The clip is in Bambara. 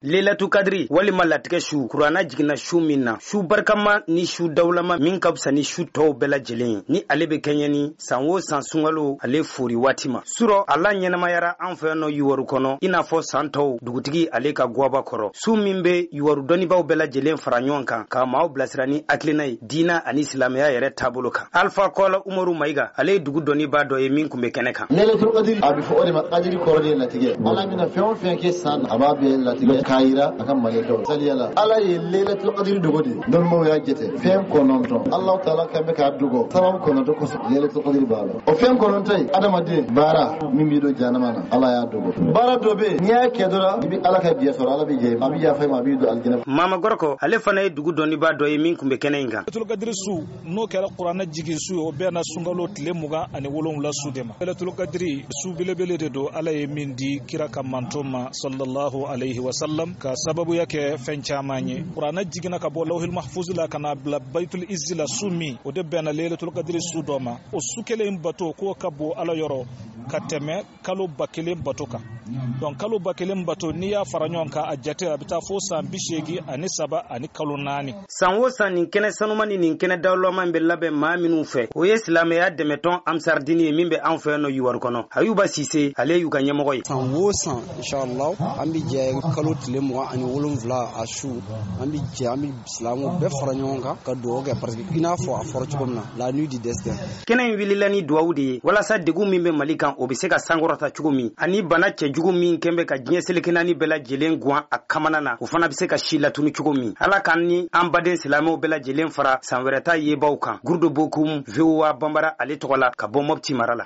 Lelatu kadiri walima latigɛ su, kuranna jiginna su min na, su barikama ni su dawulama min ka fisa ni su tɔw bɛɛ lajɛlen ye, ni ale bɛ kɛɲɛ ni san o san sunkalo ale fori waati ma. Surɔ a la ɲɛnamayara an fɛ yan nɔ Yuwaru kɔnɔ, i n'a fɔ san tɔw, dugutigi ale ka gwaba kɔrɔ, su min bɛ Yuwaru dɔnnibaaw bɛɛ lajɛlen fara ɲɔgɔn kan ka maaw bilasira ni hakilina ye diina ani silamɛya yɛrɛ taabolo kan. Alfa Kɔla Umaru Mayiga, ale ye dugu dɔnnibaa dɔ ye min tun bɛ kɛnɛ kan. Lailatul Qadr, a bɛ fɔ o de ma kadiri, kɔrɔ de ye latigɛ. Ala bɛna fɛn o fɛn kɛ san, a b'a bɛɛ latigɛ k'a yira a ka malɛkɛw saliya la. Ala ye Lailatul Qadr dogo de. Dɔnnibaw y'a jate fɛn 9, Alahu taala kan bɛ k'a dogo sababu 9 kosɔn. Lailatul Qadr b'a la. O fɛn 9 in, adamaden baara min b'i don jahanama na, Ala y'a dogo. Baara dɔ bɛ yen, n'i y'a kɛ dɔrɔn, i bɛ Ala ka diɲɛ sɔrɔ, Ala bɛ jɛ, a bɛ yafa i ma, a b'i don alijinɛ. Mama Gɔrɔkɔ, ale fana ye dugu dɔnnibaa dɔ ye min tun bɛ kɛnɛ in kan. Lailatul Qadr su, n'o kɛra kuranɛ jigin su ye, o bɛnna sunkalo tile 27 su de ma. Lailatul Qadr su belebele de don, Ala ye min di kira ka manto ma sallallahu alaihi wasallam, ka sababuya kɛ fɛn caman ye. Kuranɛ jiginna ka bɔ lawhil mahfuz la ka na bila baitul izzi la su min, o de bɛnna Lailatul Qadr su dɔ ma. O su kelen bato k'o ka bon Ala yɔrɔ ka tɛmɛ kalo 1000 bato kan. Donc kalo 1000 bato, n'i y'a fara ɲɔgɔn kan, a jate a bɛ taa fo san 83 ani kalo 4. San o san, nin kɛnɛ sanuma ni nin kɛnɛ dawulama in bɛ labɛn maa minnu fɛ, o ye silamɛya dɛmɛtɔn Amsaridini ye min bɛ an fɛ yan nɔ Yuwaru kɔnɔ. Ayuba Sise, ale y'u ka ɲɛmɔgɔ ye. San o san, inshallah, an bɛ jɛ kalo tile 27 a su, an bɛ jɛ, an bɛ silamɛw bɛɛ fara ɲɔgɔn kan ka dugawu kɛ, parce que i n'a fɔ a fɔra cogo min na, la nuit du destin. Kɛnɛ in wulila ni duwawu de ye walasa degun min bɛ Mali kan, o bɛ se ka sankɔrɔta cogo min, ani bana cɛjugu min kɛn bɛ ka diɲɛ seleke naani bɛɛ lajɛlen guwan a kamana na, o fana bɛ se ka si latunu cogo min. Ala k'an ni an baden silamɛw bɛɛ lajɛlen fara san wɛrɛ ta yebaw kan. Gurudo Bokum, VOA Banbara ale tɔgɔ la, ka bɔ Mɔpti mara la.